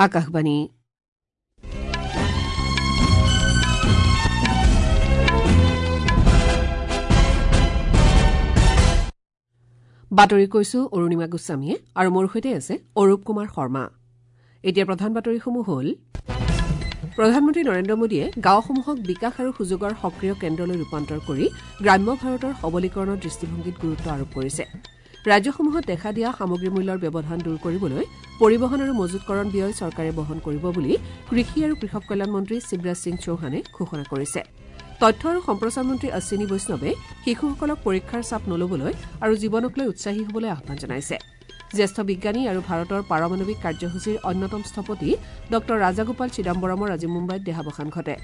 আকাশবাণী। বাতৰি কৈছো অৰুণিমা গোস্বামীয়ে আৰু মোৰ সৈতে আছে অৰূপ কুমাৰ শৰ্মা। এতিয়া প্ৰধান বাতৰিসমূহ হ'ল: প্ৰধানমন্ত্ৰী নৰেন্দ্ৰ মোদীয়ে গাঁওসমূহক বিকাশ আৰু সুযোগৰ সক্ৰিয় কেন্দ্ৰলৈ ৰূপান্তৰ কৰি গ্ৰাম্য ভাৰতৰ সবলীকৰণৰ দৃষ্টিভংগীত গুৰুত্ব আৰোপ কৰিছে। ৰাজ্যসমূহত দেখা দিয়া সামগ্ৰী মূল্যৰ ব্যৱধান দূৰ কৰিবলৈ পৰিবহণ আৰু মজুতকৰণ ব্যয় চৰকাৰে বহন কৰিব বুলি কৃষি আৰু কৃষক কল্যাণ মন্ত্ৰী শিৱৰাজ সিং চৌহানে ঘোষণা কৰিছে। তথ্য আৰু সম্প্ৰচাৰ মন্ত্ৰী অশ্বিনী বৈষ্ণৱে শিশুসকলক পৰীক্ষাৰ চাপ নলবলৈ আৰু জীৱনক লৈ উৎসাহী হ'বলৈ আহ্বান জনাইছে। জ্যেষ্ঠ বিজ্ঞানী আৰু ভাৰতৰ পাৰমাণৱিক কাৰ্যসূচীৰ অন্যতম স্থপতি ডঃ ৰাজাগোপাল চিদাম্বৰমৰ আজি মুম্বাইত দেহাৱসান ঘটে।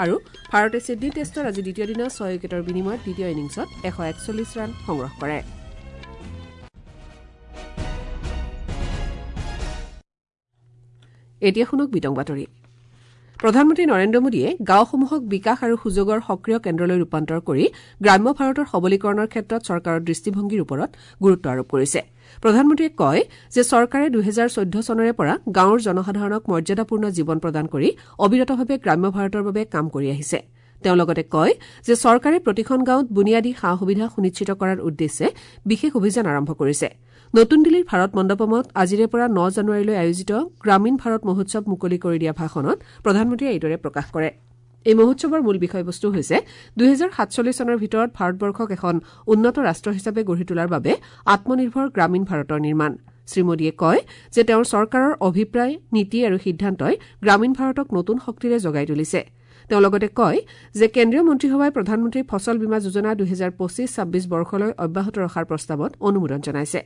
আৰু ভাৰতে ছিডনী টেষ্টৰ আজি দ্বিতীয় দিনা ৬ উইকেটৰ বিনিময়ত দ্বিতীয় ইনিংছত ১৪১ ৰান সংগ্ৰহ কৰে। এতিয়া শুনক বিতং বাতৰি। প্ৰধানমন্ত্ৰী নৰেন্দ্ৰ মোদীয়ে গাঁওসমূহক বিকাশ আৰু সুযোগৰ সক্ৰিয় কেন্দ্ৰলৈ ৰূপান্তৰ কৰি গ্ৰাম্য ভাৰতৰ সবলীকৰণৰ ক্ষেত্ৰত চৰকাৰৰ দৃষ্টিভংগীৰ ওপৰত গুৰুত্ব আৰোপ কৰিছে। প্ৰধানমন্ত্ৰীয়ে কয় যে চৰকাৰে ২০১৪ চনৰে পৰা গাঁৱৰ জনসাধাৰণক মৰ্যাদাপূৰ্ণ জীৱন প্ৰদান কৰি অবিৰতভাৱে গ্ৰাম্য ভাৰতৰ বাবে কাম কৰি আহিছে। তেওঁ লগতে কয় যে চৰকাৰে প্ৰতিখন গাঁৱত বুনিয়াদী সা সুবিধা সুনিশ্চিত কৰাৰ উদ্দেশ্যে বিশেষ অভিযান আৰম্ভ কৰিছে। নতুন দিল্লীৰ ভাৰত মণ্ডপমত আজিৰে পৰা ৯ জানুৱাৰীলৈ আয়োজিত গ্ৰামীণ ভাৰত মহোৎসৱ মুকলি কৰি দিয়া ভাষণত প্ৰধানমন্ত্ৰীয়ে এইদৰে প্ৰকাশ কৰে। এই মহোৎসৱৰ মূল বিষয়বস্তু হৈছে ২০৪৭ চনৰ ভিতৰত ভাৰতবৰ্ষক এখন উন্নত ৰাষ্ট্ৰ হিচাপে গঢ়ি তোলাৰ বাবে আত্মনিৰ্ভৰ গ্ৰামীণ ভাৰতৰ নিৰ্মাণ। শ্ৰীমোদীয়ে কয় যে তেওঁৰ চৰকাৰৰ অভিপ্ৰায়, নীতি আৰু সিদ্ধান্তই গ্ৰামীণ ভাৰতক নতুন শক্তিৰে জগাই তুলিছে। তেওঁ লগতে কয় যে কেন্দ্ৰীয় মন্ত্ৰীসভাই প্ৰধানমন্ত্ৰী ফচল বীমা যোজনা ২০২৫-২৬ বৰ্ষলৈ অব্যাহত ৰখাৰ প্ৰস্তাৱত অনুমোদন জনাইছে।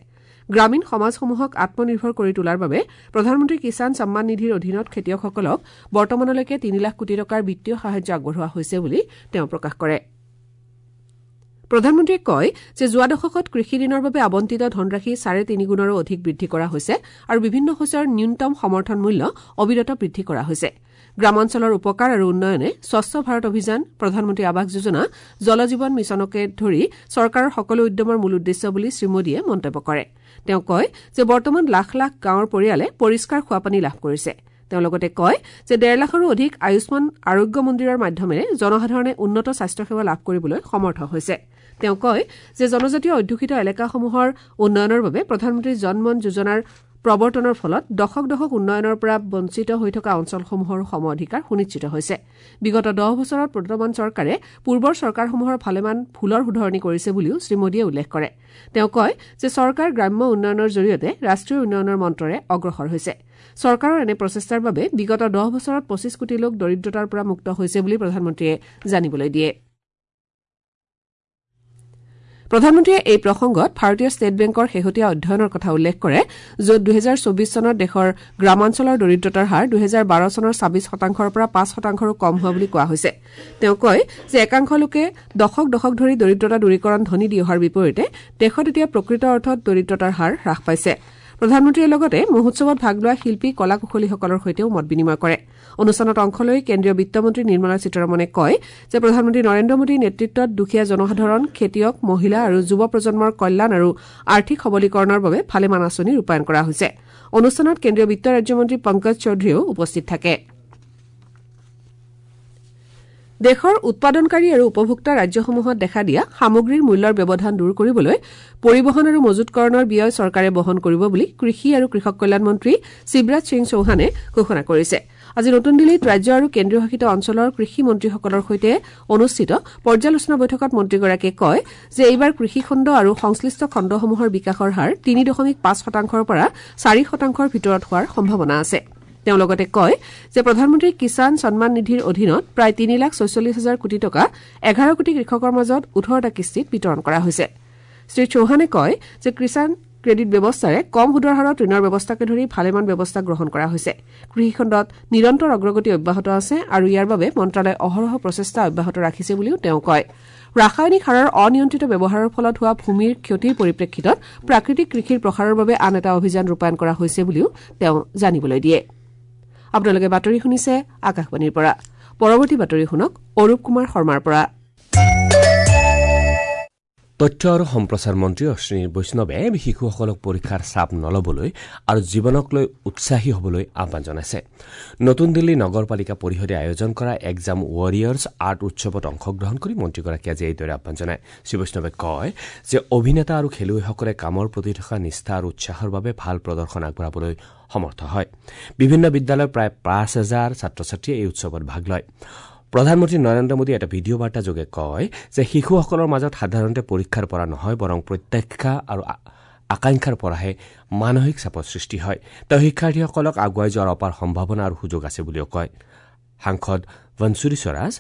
গ্ৰামীণ সমাজসমূহক আত্মনিৰ্ভৰ কৰি তোলাৰ বাবে প্ৰধানমন্ত্ৰী কিষাণ সন্মান নিধিৰ অধীনত খেতিয়কসকলক বৰ্তমানলৈকে ৩ লাখ কোটি টকাৰ বিত্তীয় সাহায্য আগবঢ়োৱা হৈছে বুলি তেওঁ প্ৰকাশ কৰে। প্ৰধানমন্ত্ৰীয়ে কয় যে যোৱা দশকত কৃষি ঋণৰ বাবে আবণ্টিত ধনৰাশি ৩.৫ গুণৰো অধিক বৃদ্ধি কৰা হৈছে আৰু বিভিন্ন শস্যৰ ন্যূনতম সমৰ্থন মূল্য অবিৰত বৃদ্ধি কৰা হৈছে। গ্ৰামাঞ্চলৰ উপকাৰ আৰু উন্নয়নে স্বচ্ছ ভাৰত অভিযান, প্ৰধানমন্ত্ৰী আৱাস যোজনা, জল জীৱন মিছনকে ধৰি চৰকাৰৰ সকলো উদ্যমৰ মূল উদ্দেশ্য বুলি শ্ৰীমোদীয়ে মন্তব্য কৰে। তেওঁ কয় যে বৰ্তমান লাখ লাখ গাঁৱৰ পৰিয়ালে পৰিষ্কাৰ খোৱাপানী লাভ কৰিছে। তেওঁ লগতে কয় যে ১.৫ লাখৰো অধিক আয়ুষ্মান আৰোগ্য মন্দিৰৰ মাধ্যমেৰে জনসাধাৰণে উন্নত স্বাস্থ্যসেৱা লাভ কৰিবলৈ সমৰ্থ হৈছে। তেওঁ কয় যে জনজাতীয় অধ্যুষিত এলেকাসমূহৰ উন্নয়নৰ বাবে প্ৰধানমন্ত্ৰী জন মন যোজনাৰ প্ৰৱৰ্তনৰ ফলত দশক দশক উন্নয়নৰ পৰা বঞ্চিত হৈ থকা অঞ্চলসমূহৰ সম অধিকাৰ সুনিশ্চিত হৈছে। বিগত ১০ বছৰত বৰ্তমান চৰকাৰে পূৰ্বৰ চৰকাৰসমূহৰ ভালেমান ভুলৰ শুধৰণি কৰিছে বুলিও শ্ৰীমোদীয়ে উল্লেখ কৰে। তেওঁ কয় যে চৰকাৰ গ্ৰাম্য উন্নয়নৰ জৰিয়তে ৰাষ্ট্ৰীয় উন্নয়নৰ মন্ত্ৰৰে অগ্ৰসৰ হৈছে। চৰকাৰৰ এনে প্ৰচেষ্টাৰ বাবে বিগত ১০ বছৰত ২৫ কোটি লোক দৰিদ্ৰতাৰ পৰা মুক্ত হৈছে বুলি প্ৰধানমন্ত্ৰীয়ে জানিবলৈ দিয়ে। প্ৰধানমন্ত্ৰীয়ে এই প্ৰসংগত ভাৰতীয় ষ্টেট বেংকৰ শেহতীয়া অধ্যয়নৰ কথা উল্লেখ কৰে, য'ত ২০২৪ চনত দেশৰ গ্ৰামাঞ্চলৰ দৰিদ্ৰতাৰ হাৰ ২০১২ চনৰ ২৬ শতাংশৰ পৰা ৫ শতাংশৰো কম হোৱা বুলি কোৱা হৈছে। তেওঁ কয় যে একাংশ লোকে দশক দশক ধৰি দৰিদ্ৰতা দূৰীকৰণ ধ্বনি দি অহাৰ বিপৰীতে দেশত এতিয়া প্ৰকৃত অৰ্থত দৰিদ্ৰতাৰ হাৰ হ্ৰাস পাইছে। প্ৰধানমন্ত্ৰীয়ে লগতে মহোৎসৱত ভাগ লোৱা শিল্পী, কলা কুশলীসকলৰ সৈতেও মত বিনিময় কৰে। অনুষ্ঠানত অংশ লৈ কেন্দ্ৰীয় বিত্তমন্ত্ৰী নিৰ্মলা সীতাৰমণে কয় যে প্ৰধানমন্ত্ৰী নৰেন্দ্ৰ মোদীৰ নেতৃত্বত দুখীয়া জনসাধাৰণ, খেতিয়ক, মহিলা আৰু যুৱ প্ৰজন্মৰ কল্যাণ আৰু আৰ্থিক সবলীকৰণৰ বাবে ভালেমান আঁচনি ৰূপায়ণ কৰা হৈছে। অনুষ্ঠানত কেন্দ্ৰীয় বিত্ত ৰাজ্যমন্ত্ৰী পংকজ চৌধুৰীও উপস্থিত থাকে। দেশৰ উৎপাদনকাৰী আৰু উপভোক্তা ৰাজ্যসমূহত দেখা দিয়া সামগ্ৰীৰ মূল্যৰ ব্যৱধান দূৰ কৰিবলৈ পৰিবহণ আৰু মজুতকৰণৰ ব্যয় চৰকাৰে বহন কৰিব বুলি কৃষি আৰু কৃষক কল্যাণ মন্ত্ৰী শিৱৰাজ সিং চৌহানে ঘোষণা কৰিছে। আজি নতুন দিল্লীত ৰাজ্য আৰু কেন্দ্ৰীয় শাসিত অঞ্চলৰ কৃষি মন্ত্ৰীসকলৰ সৈতে অনুষ্ঠিত পৰ্যালোচনা বৈঠকত মন্ত্ৰীগৰাকীয়ে কয় যে এইবাৰ কৃষিখণ্ড আৰু সংশ্লিষ্ট খণ্ডসমূহৰ বিকাশৰ হাৰ ৩.৫ শতাংশৰ পৰা ৪ শতাংশৰ ভিতৰত হোৱাৰ সম্ভাৱনা আছে। তেওঁ লগতে কয় যে প্ৰধানমন্ত্ৰী কিষাণ সন্মান নিধিৰ অধীনত প্ৰায় ৩,৪৬,০০০ কোটি টকা ১১ কোটি কৃষকৰ মাজত ১৮টা কিস্তিত বিতৰণ কৰা হৈছে। শ্ৰী চৌহানে কয় যে কিষাণ ক্ৰেডিট ব্যৱস্থাৰে কম সুদৰ হাৰত ঋণৰ ব্যৱস্থাকে ধৰি ভালেমান ব্যৱস্থা গ্ৰহণ কৰা হৈছে। কৃষিখণ্ডত নিৰন্তৰ অগ্ৰগতি অব্যাহত আছে আৰু ইয়াৰ বাবে মন্ত্ৰালয়ে অহৰহ প্ৰচেষ্টা অব্যাহত ৰাখিছে বুলিও তেওঁ কয়। ৰাসায়নিক সাৰৰ অনিয়ন্ত্ৰিত ব্যৱহাৰৰ ফলত হোৱা ভূমিৰ ক্ষতিৰ পৰিপ্ৰেক্ষিতত প্ৰাকৃতিক কৃষিৰ প্ৰসাৰৰ বাবে আন এটা অভিযান ৰূপায়ণ কৰা হৈছে বুলিও তেওঁ জানিবলৈ দিয়ে। আপোনালোকে বাতৰি শুনিছে আকাশবাণীৰ পৰা। পৰৱৰ্তী বাতৰি শুনক অৰূপ কুমাৰ শৰ্মাৰ পৰা। তথ্য আৰু সম্প্ৰচাৰ মন্ত্ৰী অশ্বিনী বৈষ্ণৱে শিশুসকলক পৰীক্ষাৰ চাপ নল'বলৈ আৰু জীৱনক লৈ উৎসাহী হ'বলৈ আহ্বান জনাইছে। নতুন দিল্লী নগৰপালিকা পৰিষদে আয়োজন কৰা এক্সাম ৱাৰিয়ৰ্ছ আৰ্ট উৎসৱত অংশগ্ৰহণ কৰি মন্ত্ৰীগৰাকীয়ে আজি এইদৰে আহ্বান জনায়। শ্ৰীবৈষ্ণৱে কয় যে অভিনেতা আৰু খেলুৱৈসকলে কামৰ প্ৰতি থকা নিষ্ঠা আৰু উৎসাহৰ বাবে ভাল প্ৰদৰ্শন আগবঢ়াবলৈ সমৰ্থ হয়। বিভিন্ন বিদ্যালয়ৰ প্ৰায় ৫,০০০ ছাত্ৰ ছাত্ৰীয়ে এই উৎসৱত ভাগ লয়। প্ৰধানমন্ত্ৰী নৰেন্দ্ৰ মোদীয়ে এটা ভিডিঅ' বাৰ্তা যোগে কয় যে শিশুসকলৰ মাজত সাধাৰণতে পৰীক্ষাৰ পৰা নহয়, বৰং প্ৰত্যাশা আৰু আকাংক্ষাৰ পৰাহে মানসিক চাপৰ সৃষ্টি হয়। তেওঁ শিক্ষাৰ্থীসকলক আগুৱাই যোৱাৰ অপাৰ সম্ভাৱনা আৰু সুযোগ আছে বুলিও কয়। সাংসদ বনসুৰী স্বৰাজ,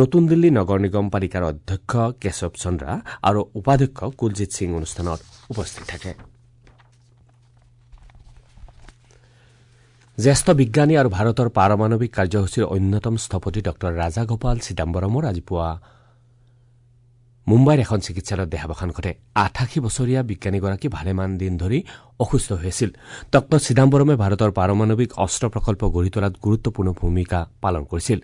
নতুন দিল্লী নগৰ নিগম পালিকাৰ অধ্যক্ষ কেশৱ চন্দ্ৰা আৰু উপাধ্যক্ষ কুলজিৎ সিং অনুষ্ঠানত উপস্থিত থাকে। জ্যেষ্ঠ বিজ্ঞানী আৰু ভাৰতৰ পাৰমাণৱিক কাৰ্যসূচীৰ অন্যতম স্থপতি ডঃ ৰাজাগোপাল চিদাম্বৰমৰ আজি পুৱা মুম্বাইৰ এখন চিকিৎসালয়ত দেহাৱসান ঘটে। ৮৮ বছৰীয়া বিজ্ঞানীগৰাকী ভালেমান দিন ধৰি অসুস্থ হৈ আছিল। ডঃ চিদাম্বৰমে ভাৰতৰ পাৰমাণৱিক অস্ত্ৰ প্ৰকল্প গঢ়ি তোলাত গুৰুত্বপূৰ্ণ ভূমিকা পালন কৰিছিল।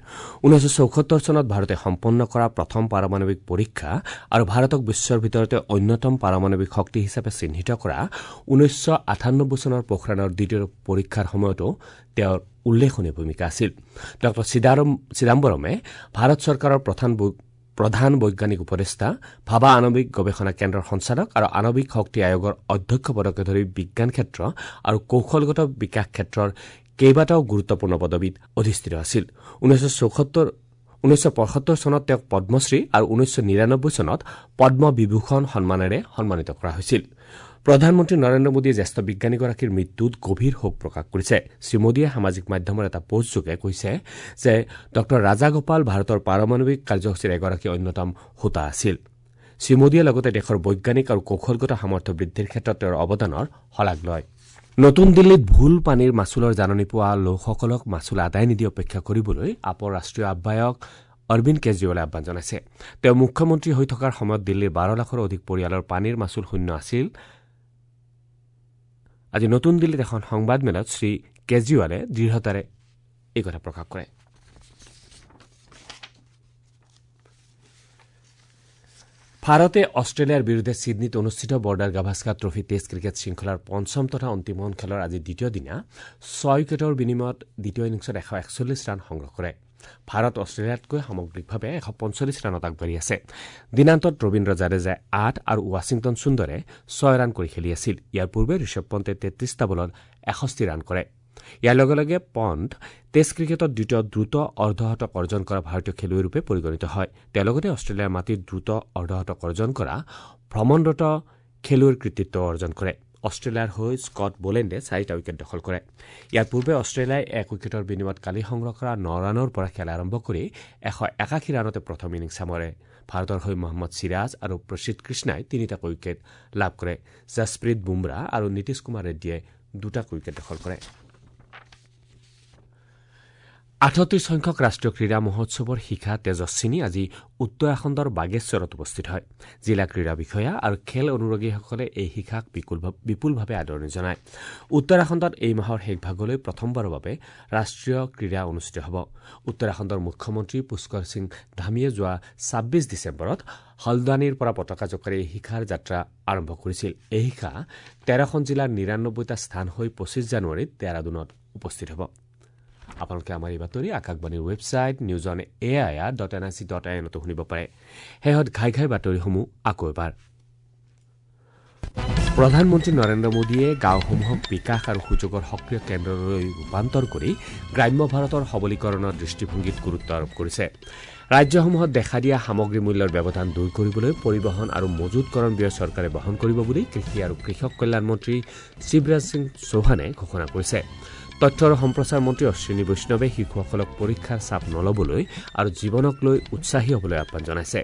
১৯৭৪ চনত ভাৰতে সম্পন্ন কৰা প্ৰথম পাৰমাণৱিক পৰীক্ষা আৰু ভাৰতক বিশ্বৰ ভিতৰতে অন্যতম পাৰমাণৱিক শক্তি হিচাপে চিহ্নিত কৰা ১৯৯৮ চনৰ পোখৰাণৰ দ্বিতীয় পৰীক্ষাৰ সময়তো তেওঁৰ উল্লেখনীয় ভূমিকা আছিল। ডঃ চিদাম্বৰমে ভাৰত চৰকাৰৰ প্ৰধান বৈজ্ঞানিক উপদেষ্টা, ভাবা আণৱিক গৱেষণা কেন্দ্ৰৰ সঞ্চালক আৰু আণৱিক শক্তি আয়োগৰ অধ্যক্ষ পদকে ধৰি বিজ্ঞান ক্ষেত্ৰ আৰু কৌশলগত বিকাশ ক্ষেত্ৰৰ কেইবাটাও গুৰুত্বপূৰ্ণ পদবীত অধিষ্ঠিত আছিল। ১৯৭৫ চনত তেওঁক পদ্মশ্ৰী আৰু ১৯৯৯ চনত পদ্মবিভূষণ সন্মানেৰে সন্মানিত কৰা হৈছিল। প্ৰধানমন্ত্ৰী নৰেন্দ্ৰ মোদীয়ে জ্যেষ্ঠ বিজ্ঞানীগৰাকীৰ মৃত্যুত গভীৰ শোক প্ৰকাশ কৰিছে। শ্ৰীমোদীয়ে সামাজিক মাধ্যমৰ এটা পোষ্টযোগে কৈছে যে ডঃ ৰাজাগোপাল ভাৰতৰ পাৰমাণৱিক কাৰ্যসূচীৰ এগৰাকী অন্যতম হোতা আছিল। শ্ৰীমোদীয়ে লগতে দেশৰ বৈজ্ঞানিক আৰু কৌশলগত সামৰ্থ্য বৃদ্ধিৰ ক্ষেত্ৰত তেওঁৰ অৱদানৰ শলাগ লয়। নতুন দিল্লীত ভুল পানীৰ মাচুলৰ জাননী পোৱা লোকসকলক মাচুল আদায় নিদি অপেক্ষা কৰিবলৈ আপৰ ৰাষ্ট্ৰীয় আহ্বায়ক অৰবিন্দ কেজৰিৱালে আহ্বান জনাইছে। তেওঁ মুখ্যমন্ত্ৰী হৈ থকাৰ সময়ত দিল্লীৰ ১২ লাখৰো অধিক পৰিয়ালৰ পানীৰ মাচুল শূন্য আছিল। আজি নতুন দিল্লীত এখন সংবাদমেলত শ্ৰী কেজৰিৱালে দৃঢ়তাৰে এই কথা প্ৰকাশ কৰে। ভাৰতে অষ্ট্ৰেলিয়াৰ বিৰুদ্ধে ছিডনীত অনুষ্ঠিত Border Gavaskar trophy test cricket শৃংখলাৰ পঞ্চম তথা অন্তিমখন খেলৰ আজি দ্বিতীয় দিনা ৬ উইকেটৰ বিনিময়ত দ্বিতীয় ইনিংছত ১৪১ ৰান সংগ্ৰহ কৰে। ভাৰত অষ্ট্ৰেলিয়াতকৈ সামগ্ৰিকভাৱে ১৪৫ ৰানত আগবাঢ়ি আছে। দিনান্তত ৰবীন্দ্ৰ জাদেজাই ৮ আৰু ৱাশ্বিংটন সুন্দৰে ৬ ৰান কৰি খেলি আছিল। ইয়াৰ পূৰ্বে ঋষভ পণ্টে ৩৩টা বলত ৬১ ৰান কৰে। ইয়াৰ লগে লগে পণ্ট টেষ্ট ক্ৰিকেটত দ্বিতীয় দ্ৰুত অৰ্ধশতক অৰ্জন কৰা ভাৰতীয় খেলুৱৈৰূপে পৰিগণিত হয়। তেওঁ লগতে অষ্ট্ৰেলিয়াৰ মাটিত দ্ৰুত অৰ্ধশতক অৰ্জন কৰা ভ্ৰমণৰত খেলুৱৈৰ কৃতিত্ব অৰ্জন কৰে। অষ্ট্ৰেলিয়াৰ হৈ স্কট বলেণ্ডে ৪টা উইকেট দখল কৰে। ইয়াৰ পূৰ্বে অষ্ট্ৰেলিয়াই ১ উইকেটৰ বিনিময়ত কালি সংগ্ৰহ কৰা ৯ ৰানৰ পৰা খেল আৰম্ভ কৰি ১৮১ ৰানতে প্ৰথম ইনিংছ সামৰে। ভাৰতৰ হৈ মহম্মদ চিৰাজ আৰু প্ৰসিদ্ধ কৃষ্ণাই ৩টাকৈ উইকেট লাভ কৰে। জাছপ্ৰীত বুমৰাহ আৰু নীতিশ কুমাৰ ৰেড্ডীয়ে ২টাকৈ উইকেট দখল কৰে। ৩৮ সংখ্যক ৰাষ্ট্ৰীয় ক্ৰীড়া মহোৎসৱৰ শিখা তেজস্বিনী আজি উত্তৰাখণ্ডৰ বাগেশ্বৰত উপস্থিত হয়। জিলা ক্ৰীড়া বিষয়া আৰু খেল অনুৰাগীসকলে এই শিখাক বিপুলভাৱে আদৰণি জনায়। উত্তৰাখণ্ডত এই মাহৰ শেষভাগলৈ প্ৰথমবাৰৰ বাবে ৰাষ্ট্ৰীয় ক্ৰীড়া অনুষ্ঠিত হ'ব। উত্তৰাখণ্ডৰ মুখ্যমন্ত্ৰী পুষ্কৰ সিং ধামীয়ে যোৱা ২৬ ডিচেম্বৰত হলদ্বানীৰ পৰা পতাকা জোকাৰি এই শিখাৰ যাত্ৰা আৰম্ভ কৰিছিল। এই শিখা ১৩খন জিলাৰ ৯৯টা স্থান হৈ ২৫ জানুৱাৰীত ডেৰাডুনত উপস্থিত হ'ব। আপোনালোকে আমাৰ এই বাতৰি আকাশবাণীৰ website news on A I R dot N I C dot I এনতো শুনিব পাৰে। শেহত ঘাই ঘাই বাতৰিসমূহ আকৌ এবাৰ। প্ৰধানমন্ত্ৰী নৰেন্দ্ৰ মোদীয়ে গাঁওসমূহক বিকাশ আৰু সুযোগৰ সক্ৰিয় কেন্দ্ৰলৈ ৰূপান্তৰ কৰি গ্ৰাম্য ভাৰতৰ সবলীকৰণৰ দৃষ্টিভংগীত গুৰুত্ব আৰোপ কৰিছে। ৰাজ্যসমূহত দেখা দিয়া সামগ্ৰী মূল্যৰ ব্যৱধান দূৰ কৰিবলৈ পৰিবহণ আৰু মজুতকৰণ ব্যয় চৰকাৰে বহন কৰিব বুলি কৃষি আৰু কৃষক কল্যাণ মন্ত্ৰী শিৱৰাজ সিং চৌহানে ঘোষণা কৰিছে। তথ্য আৰু সম্প্ৰচাৰ মন্ত্ৰী অশ্বিনী বৈষ্ণৱে শিশুসকলক পৰীক্ষাৰ চাপ নল'বলৈ আৰু জীৱনক লৈ উৎসাহী হ'বলৈ আহ্বান জনাইছে।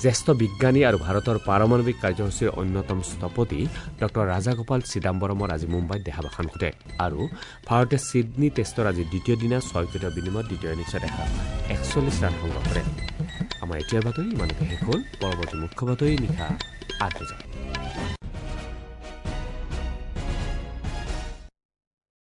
জ্যেষ্ঠ বিজ্ঞানী আৰু ভাৰতৰ পাৰমাণৱিক কাৰ্যসূচীৰ অন্যতম স্থপতি ডঃ ৰাজাগোপাল চিদাম্বৰমৰ আজি মুম্বাইত দেহাৱসান ঘটে। আৰু ভাৰতে ছিডনী টেষ্টৰ আজি দ্বিতীয় দিনা ৬ উইকেটৰ বিনিময়ত দ্বিতীয় ইনিংছত ১৪১ ৰান সংগ্ৰহ কৰে। আমাৰ এতিয়াৰ বাতৰি ইমানতে শেষ হ'ল। পৰৱৰ্তী মুখ্য বাতৰি নিশা ৮ বজাত।